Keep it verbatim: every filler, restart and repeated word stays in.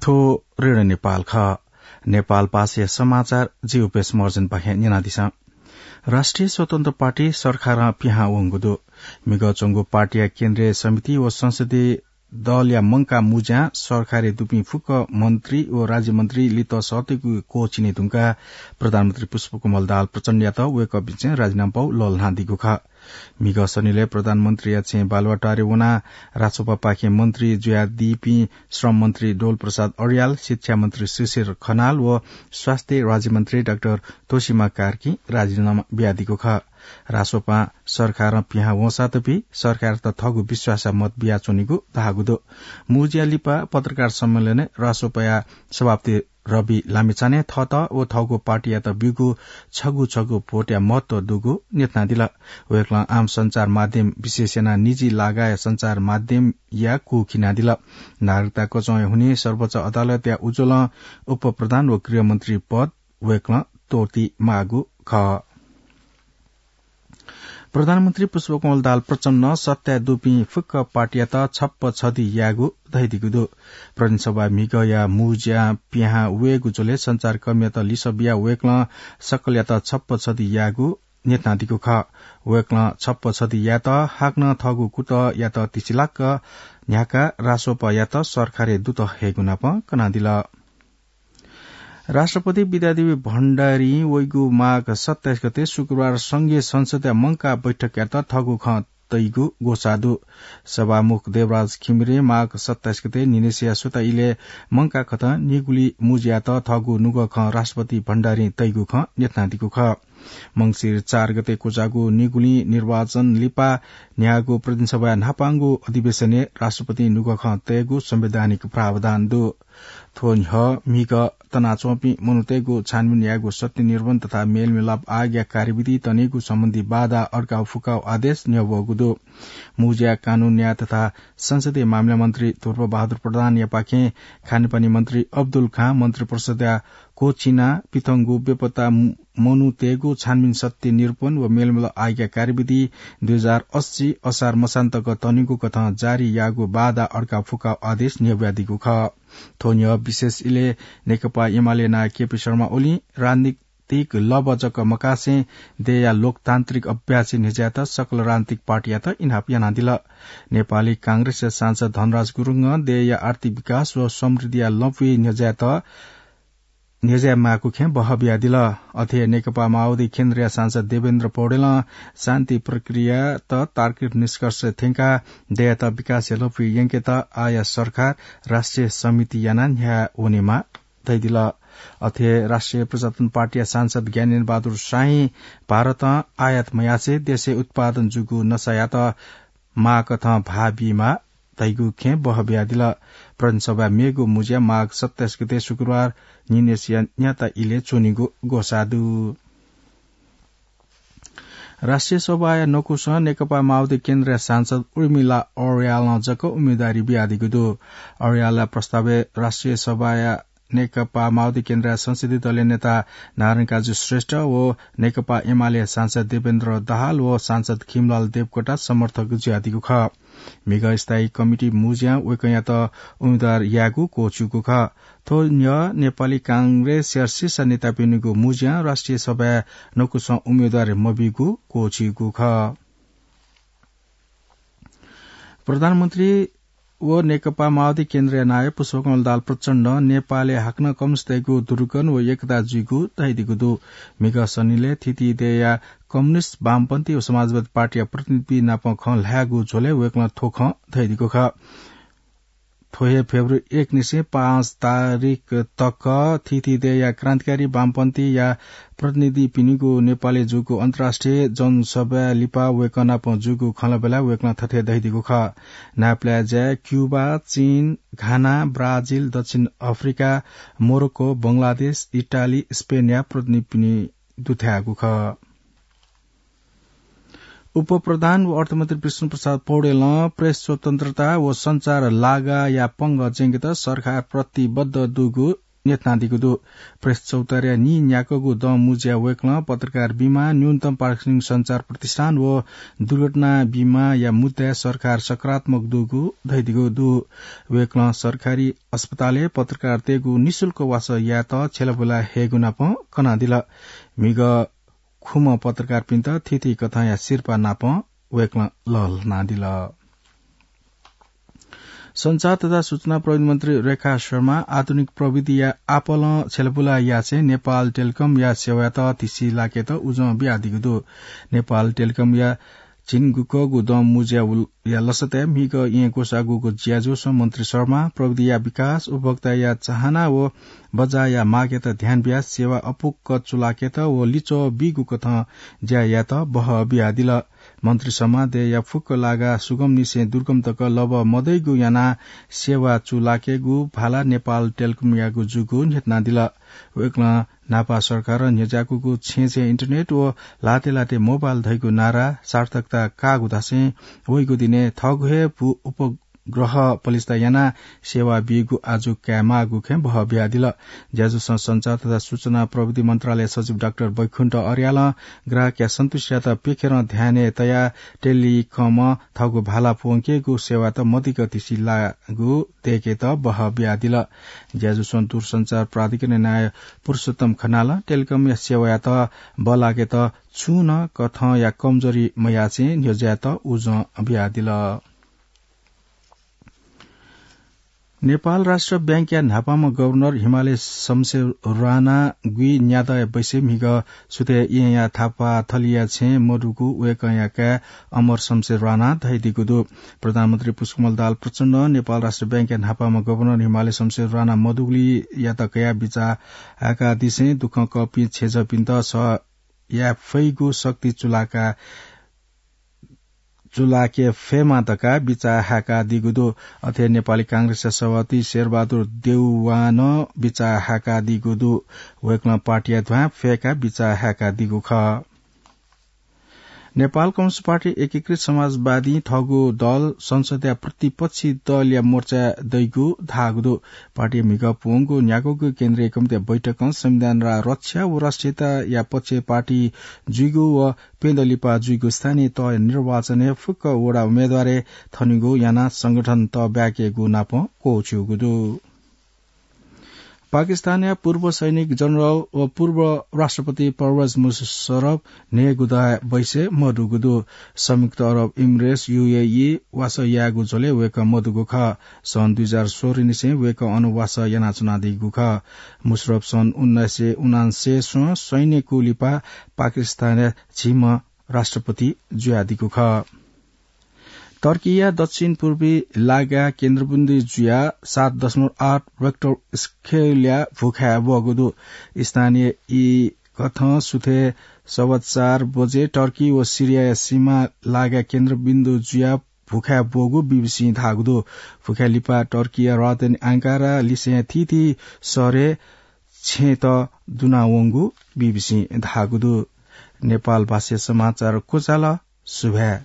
थ्व रेडियो नेपाल खः। नेपाल भाषाया समाचार जि उपेश महर्जनपाखें न्यनादिसँ। राष्ट्रिय स्वतन्त्र पार्टी सरकारं पिहां वंगु दु। म्हिगः च्वंगु पार्टीया केन्द्रीय समिति व संसदीय दलया मंकाः मुँज्यां सरकारय् दुपिं फुक्क मन्त्री व राज्यमन्त्री लित सःतेगु क्वःछिने धुंकाः प्रधानमन्त्री पुष्पकमल दाहाल प्रचण्डयात वय्कःपिन्सं राजीनामा पाउ लःल्हानादीगु खः। म्हिगः शनिलय् प्रधानमन्त्रीया छेँय् बालुवाटारय् वनाः राजसभापाखें मन्त्री जुयादीपिं श्रम मन्त्री डोल प्रसाद अर्याल, शिक्षा मन्त्री शिशिर खनाल व स्वास्थ्य राज्यमन्त्री डाक्टर तोसीमा कार्कीं राजीनामा बियादीगु खः। राजसभां सरकारं पिहां वंसातपि सरकारयात थःगु विश्वासया मत बियाच्वनीगु धाःगु दु। मुँज्या लिपा पत्रकार सम्मेलनय् राजसभाया सभापति रवि लामिछानें थःत व थःगु पार्टीयात ब्यूगु छगू छगू भोटया महत्व दुगु न्ह्यथनादिल। वय्कलं आम सञ्चार माध्यम विशेष यानाः निजी लागाया सञ्चार माध्यमया कू खिनादिल। नागरिकता कचंया हुनिं सर्वोच्च अदालतया उज्वलं उपप्रधान व गृहमन्त्री पद वय्कलं त्वःती माःगु खः। प्रधानमन्त्री पुष्पकमल दाहाल प्रचण्डं सत्ताय् दुपिं फुक्क पार्टीयात छप्पा छधि यायेगु धयादीगु दु। प्रदेशसभा म्हिगःया मुँज्यां पिहां वयेगु झ्वलय् सञ्चारकर्मीयात लिसः बियाः वय्कलं सकलयात छप्पा छधि यायेगु न्ह्यथनादीगु खः। वय्कलं छप्पा छधि यायेत हाकनं थःगु कुतःयात तिसिलाक न्ह्याकाः राजसभायात सरकारय् दुत हयेगु नापं कनादिल। राष्ट्रपति विद्यादेवी भण्डारीं वइगु माघ सत्ताइस गते शुक्रबार संघीय संसदया मंकाः बैठकयात थःगु खँ तइगु ग्वसाः दु। सभामुख देवराज घिमिरें माघ सत्ताइस गते न्हिनय्सिया सुता इलय् मंकाः कथं निगुली मुँज्यात थःगु नुगः खँ राष्ट्रपति भण्डारीं तइगु खँ न्ह्यथनादीगु खः। मंसिर चार गते क्वचाःगु निगुलिं निर्वाचन लिपा न्ह्याःगु प्रतिनिधि सभाया न्हापांगु अधिवेशनय् राष्ट्रपतिं नुगः खँ तयेगु संवैधानिक प्रावधान दु। थ्व न्ह्यः म्हिगः तनाच्वंपिं मनूतय्गु छानबिन यायेगु सत्य निरूपण तथा मेलमिलाप आयोगया कार्यविधि तनेगु सम्बन्धी बाधा अड्काः फुकाःगु आदेश न्ह्यब्वःगु दु। मुँज्या कानून न्याय तथा संसदीय मामिला मन्त्री ध्रुवबहादुर प्रधानयापाखें खानेपानी मन्त्री अब्दुल खां मन्त्रिपरिषदया क्वःछिनाः पिथंगु बेपत्ता मनूतय्गु छानबिन सत्य निरूपण व मेलमिलाप आयोगया कार्यविधि दुई हजार अस्सी असार मसान्तक तनेगु कथं जारी याःगु बाधा अड्काः फुकाःगु आदेश न्ह्यब्वयादीगु खः। थ्व न्ह्यः विशेष इलय् नेकपा एमाले नायः केपी शर्मा ओलीं राजनीतिक लँप जक मकासें देय्या लोकतान्त्रिक अभ्यासय् न्ह्यज्यायेत सकल राजनीतिक पार्टीयात इनाप यानादिल। नेपाली कांग्रेसया सांसद धनराज गुरुङं देय्या आर्थिक विकास व समृद्धिया लँपुइ न्ह्यज्यायेत न्ह्यज्याये माःगु खँय् बहः बियादिल। अथे हे नेकपा माओवादी केन्द्रया सांसद देवेन्द्र पौडेलं शान्ति प्रक्रियात तार्किक निष्कर्ष थ्यंकाः देय्यात विकासया लँपुइ यंकेत आःया सरकार राष्ट्रिय समिति यानाः न्ह्याः वनेमाः धयादिल। अथे हे राष्ट्रिय प्रजातन्त्र पार्टीया सांसद ज्ञानेन्द्र बहादुर शाहीं भारतं आयात मयासें देशय् उत्पादन जूगु नसायात माःकथं भाः बीमाः धइगु खँय् बहः बियादिल। प्रतिनिधि सभाया मेगु मुँज्या माघ सत्ताइस गते शुक्रबार न्हिनय्सिया न्याता इलय् च्वनीगु ग्वसाः दु। राष्ट्रिय सभाया नकुसं नेकपा माओवादी केन्द्रया सांसद उर्मिला अर्यालं जक उम्मेदवारी बियादीगु दु। अर्यालया प्रस्तावय् राष्ट्रिय सभाया नेकपा माओवादी केन्द्रया संसदीय दलया नेता नारायण काजी श्रेष्ठ व नेकपा एमाले सांसद देवेन्द्र दाहाल व सांसद खिमलाल देवकोटा समर्थक जुयादीगु खः। म्हिगः स्थायी कमिटी मुँज्यां वय्कःयात उम्मेदवार यायेगु क्वःछिउगु खः। थ्व न्ह्यः नेपाली कांग्रेसया शीर्ष नेतापिनिगु मुँज्यां राष्ट्रिय सभाया नकुसं उम्मेदवार मबीगु क्वःछिउगु खः। प्रधानमन्त्री व नेकपा माओवादी केन्द्रया नायः पुष्पकमल दाहाल प्रचण्डं नेपालय् हाकनं कम्युनिस्टतय्गु ध्रुवीकरण व एकता जुइगु धयादीगु दु। म्हिगः शनिलय् थीथी देय्या कम्युनिस्ट, वामपन्थी व समाजवादी पार्टीया प्रतिनिधिपिं नाप खँ ल्हायेगु झ्वलय् वय्कलं थ्व खँ धयादीगु खः। थ्व हे फेब्रुअरी एक निसें पाँच तारिख तक थीथी देय्या क्रान्तिकारी वामपन्थीया प्रतिनिधिपिनिगु नेपालय् जूगु अन्तर्राष्ट्रिय जनसभाया लिपा वय्कः नाप जूगु खँल्हाबल्हाय् वय्कलं थथे धयादीगु खः। नापलाये ज्याय् क्युबा, चीन, घाना, ब्राजिल, दक्षिण अफ्रिका, मोरोक्को, बंगलादेश, इटाली, स्पेनया प्रतिनिधिपिनि दुथ्याःगु खः। उपप्रधान व अर्थमन्त्री विष्णुप्रसाद पौडेलं प्रेस स्वतन्त्रता व सञ्चार लागाया पंगः ज्यंकेत सरकार प्रतिबद्ध दुगु न्ह्यथनादीगु दु। प्रेस चौतारीया नीन्याक्वःगु दँ मुँज्याय् वय्कलं पत्रकार बीमा, न्यूनतम पारिश्रमिक सञ्चार प्रतिष्ठान व दुर्घटना बीमाया मुद्दाय् सरकार सकारात्मक दुगु धयादीगु दु। वय्कलं सरकारी अस्पतालय् पत्रकारतय्गु निशुल्क वासः यायेत छ्यलाबुला हयेगु नाप कनादिल। म्हिगः खुम्ह पत्रकारपिन्त थीथी कथंया सिरपाः नाप वय्कलं लःल्हानादिल। सञ्चार तथा सूचना प्रविधि मन्त्री रेखा शर्मा आधुनिक प्रविधिया आपालं छ्यलाबुला यासें नेपाल टेलिकमया सेवायात तिसि लाकेत उजं बियादीगु दु। नेपाल टेलिकमया झिंगुकःगु दँ मुँज्याया लसताय् म्हिगः येँ ग्वसाःगु ज्याझ्वलय् मन्त्री शर्मा प्रविधिया विकास, उपभोक्ताया चाहना व बजारया मागयात ध्यान बियाः सेवा अपुक्क चूलाकेत व लिच्वः बीगु कथं ज्या यायेत बहः बियादिल। मन्त्री शर्मां देय्या फुक्क लागा सुगमनिसें दुर्गम तक लबः मदइगु यानाः सेवा चूलाकेगु भाला नेपाल टेलिकमयागु जूगु न्ह्यथनादिल। वय्कलं न्हापा सरकारं न्ह्यज्याकूगु छेँय् छेँय् इन्टरनेट व ल्हातय् ल्हातय् मोबाइल धइगु नारा सार्थकता काःगु धासें वइगु दिनय् थःगु हे भू उपग्रह पलिस्था यानाः सेवा बीगु आजु कायेमाःगु खँय् बहः बियादिल। ज्याझ्वलय् सञ्चार तथा सूचना प्रविधि मन्त्रालय सचिव डाक्टर बैकुण्ठ अर्यालं ग्राहकया सन्तुष्टियात प्यखेरं ध्यानय् तयाः टेलिकमं थःगु भाला प्वंकेगु सेवायात मदिक्क तिसि लाःगु दय्केत बहः बियादिल। ज्याझ्वलय् दूरसञ्चार प्राधिकरणया नायः पुरुषोत्तम खनालं टेलिकमया सेवायात बल्लाकेत छुं नं कथंया कमजोरी मयासें न्ह्यज्यायेत उजं बियादिल। नेपाल राष्ट्र बैंकया न्हापांम्ह गभर्नर हिमालय शमशेर राणा गुइन्यादँया बैसय् म्हिगः सुथय् येँया थापाथलिया छेँय् मदुगु वय्कःया काय् अमर शमशेर राणां धयादीगु दु। प्रधानमन्त्री पुष्पकमल दाहाल प्रचण्डं नेपाल राष्ट्र बैंकया न्हापांम्ह गभर्नर हिमालय शमशेर राणा मदुगुलियात कयाः बिचाः हाय्कादिसें दुःखं कःपिं छेँजःपिन्त सह याये फइगु शक्ति चूलाका चूलाके फयेमा धकाः बिचाः हाय्कादीगु दु। अथे नेपाली कांग्रेसया सभापति शेरबहादुर देउवां नं बिचाः हाय्कादीगु दु। वय्कलं पार्टीया ध्वाँय् फय्काः बिचाः हाय्कादीगु खः। नेपाल कम्युनिस्ट पार्टी एकीकृत समाजवादीं थःगु दल संसदया प्रतिपक्षी दलया मोर्चाय् दइगु धाःगु दु। पार्टीया म्हिगः प्वंगु न्याक्वःगु केन्द्रीय कमिटीया बैठकं संविधान र रक्षा व राष्ट्रियताया पक्षय् पार्टी जुइगु व प्यदँ लिपा जुइगु स्थानीय तहया निर्वाचनय् फुक्क वडा उम्मेदवारय् थनेगु यानाः संगठन तःब्याकेगु नाप क्वःछिउगु दु। पाकिस्तानया पूर्व सैनिक जनरल व पूर्व राष्ट्रपति परवेज मुशर्रफ न्हय्गू दँया बैसय् मदुगु दु। संयुक्त अरब इमिरेट्स, यूएई, वासः यायेगु झ्वलय् वय्कः मदुगु खः। सन् दुई हजार सोह्र निसें वय्कः अन वासः यानाच्वनादीगु खः। मुशर्रफ सन् उन्नाइस सय उनान्सय् स्वं सैन्य कू लिपा पाकिस्तानया झिम्ह राष्ट्रपति जुयादीगु खः। टर्कीया दक्षिण पूर्वी लागाय् केन्द्रबिन्दु जुयाः सात दशमलव आठ रेक्टर स्केलया भुखाय् ब्वःगु दु। स्थानीय ई कथं सुथय् सवा चार बजे टर्की व सिरियाया सीमा लागाय् केन्द्रबिन्दु जुयाः भुखाय् ब्वःगु बीबीसीं धाःगु दु। भुखाय् लिपा टर्कीया राजधानी आंकारा लिसें थीथी शहरय् छेँत दुनावंगु बीबीसीं धाःगु दु। नेपाल भाषाय् समाचार क्वचाल। सुभाय्।